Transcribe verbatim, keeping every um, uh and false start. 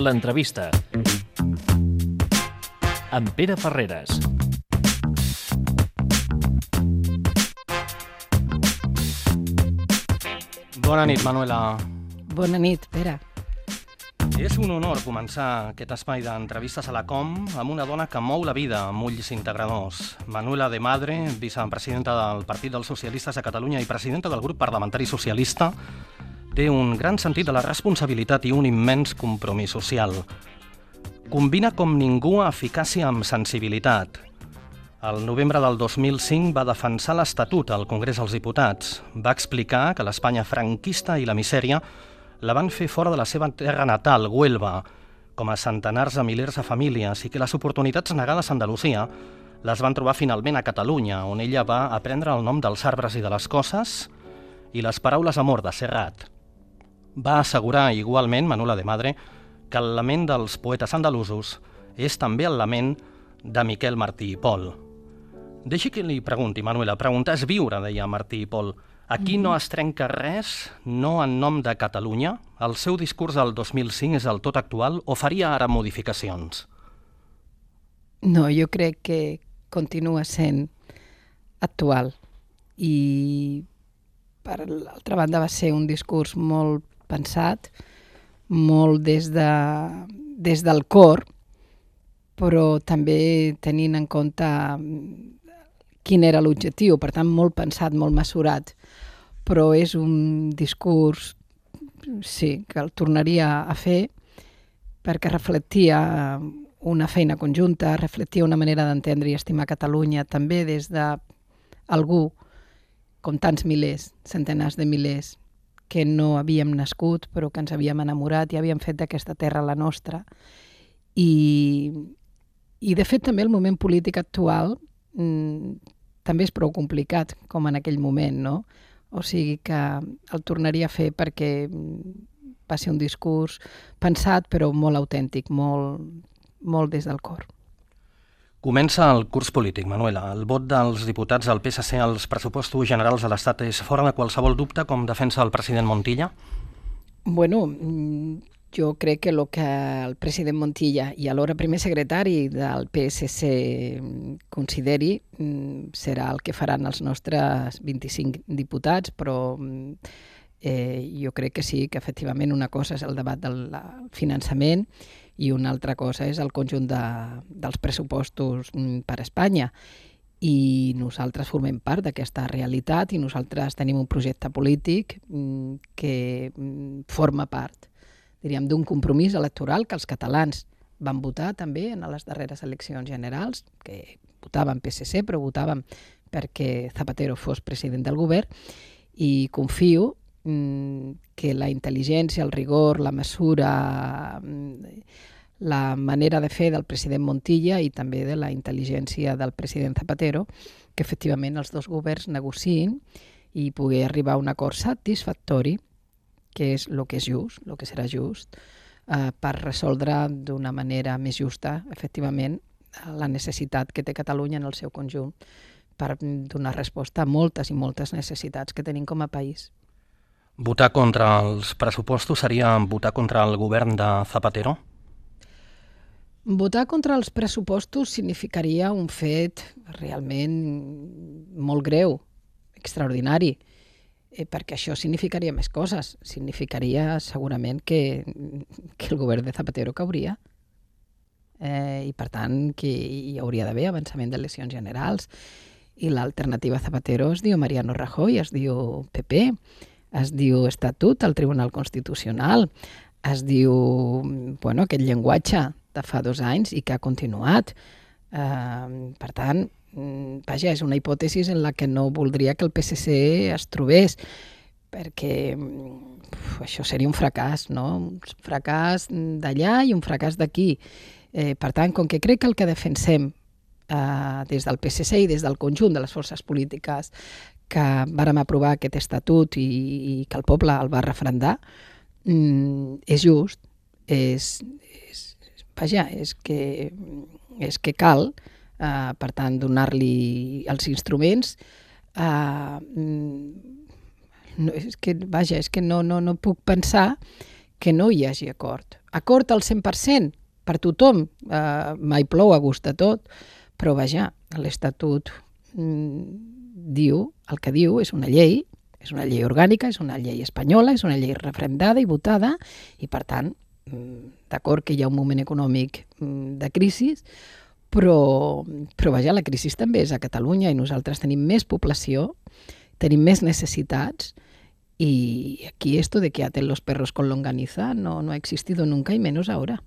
L'entrevista amb Pere Ferreres. Bona nit, Manuela. Bona nit, Pere. És un honor començar aquest espai d'entrevistes a la Com amb una dona que mou la vida amb ulls integradors. Manuela de Madre, vicepresidenta del Partit dels Socialistes de Catalunya i presidenta del grup parlamentari socialista, té un gran sentit de la responsabilitat i un immens compromís social. Combina com ningú eficàcia amb sensibilitat. El novembre del dos mil cinc va defensar l'Estatut al Congrés dels Diputats. Va explicar que l'Espanya franquista i la misèria la van fer fora de la seva terra natal, Huelva, com a centenars de milers de famílies, i que les oportunitats negades a Andalusia les van trobar finalment a Catalunya, on ella va aprendre el nom dels arbres i de les coses i les paraules amor de Serrat. Va assegurar igualment, Manuela de Madre, que el lament dels poetes andalusos és també el lament de Miquel Martí i Pol. Deixi que li pregunti, Manuela, preguntar és viure, deia Martí i Pol. Aquí no es trenca res, no en nom de Catalunya? El seu discurs del dos mil cinc és el tot actual o faria ara modificacions? No, jo crec que continua sent actual i per l'altra banda va ser un discurs molt pensat, molt des, de, des del cor, però també tenint en compte quin era l'objectiu, per tant molt pensat, molt mesurat, però és un discurs, sí, que el tornaria a fer perquè reflectia una feina conjunta, reflectia una manera d'entendre i estimar Catalunya també des d'algú, com tants milers, centenars de milers, que no havíem nascut però que ens havíem enamorat i havíem fet d'aquesta terra la nostra. I, i de fet també el moment polític actual mmm, també és prou complicat, com en aquell moment, no? O sigui que el tornaria a fer perquè va ser un discurs pensat, però molt autèntic, molt, molt des del cor. Comença el curs polític, Manuela. El vot dels diputats del P S C als pressupostos generals de l'Estat és fora de qualsevol dubte, com defensa el president Montilla? Bueno, jo crec que el que el president Montilla i alhora primer secretari del P S C consideri serà el que faran els nostres vint-i-cinc diputats, però eh, jo crec que sí, que efectivament una cosa és el debat del finançament i una altra cosa és el conjunt de, dels pressupostos per a Espanya. I nosaltres formem part d'aquesta realitat i nosaltres tenim un projecte polític que forma part, diríem, d'un compromís electoral que els catalans van votar també en les darreres eleccions generals, que votaven P S C, però votaven perquè Zapatero fos president del govern, i confio que la intel·ligència, el rigor, la mesura, la manera de fer del president Montilla i també de la intel·ligència del president Zapatero, que efectivament els dos governs negociïn i pugui arribar a un acord satisfactori, que és el que és just, el que serà just, eh, per resoldre d'una manera més justa, efectivament, la necessitat que té Catalunya en el seu conjunt per donar resposta a moltes i moltes necessitats que tenim com a país. Votar contra els pressupostos seria votar contra el govern de Zapatero? Votar contra els pressupostos significaria un fet realment molt greu, extraordinari, perquè això significaria més coses. Significaria segurament que, que el govern de Zapatero cauria eh, i per tant que hi hauria d'haver avançament d'eleccions generals i l'alternativa a Zapatero es diu Mariano Rajoy, es diu P P, es diu Estatut al Tribunal Constitucional, es diu bueno, aquest llenguatge de fa dos anys i que ha continuat. Eh, per tant, vaja, és una hipòtesi en la que no voldria que el P S C es trobés, perquè uf, això seria un fracàs, no? Un fracàs d'allà i un fracàs d'aquí. Eh, per tant, com que crec que el que defensem eh, des del P S C i des del conjunt de les forces polítiques que vàrem aprovar aquest estatut i, i que el poble el va referendar, mm, és just, és, és, vaja, és que, és que cal, eh, per tant, donar-li els instruments. Eh, no, és que, vaja, és que no, no, no puc pensar que no hi hagi acord. acord al cent per cent per tothom, eh, mai plou a gust de tot, però vaja, l'Estatut mm, diu, el que diu és una llei, és una llei orgànica, és una llei espanyola, és una llei referendada i votada, i per tant, d'acord que hi ha un moment econòmic de crisi, però, però vaja, la crisi també és a Catalunya i nosaltres tenim més població, tenim més necessitats y aquí esto de que aten los perros con longaniza no, no ha existido nunca y menos ahora.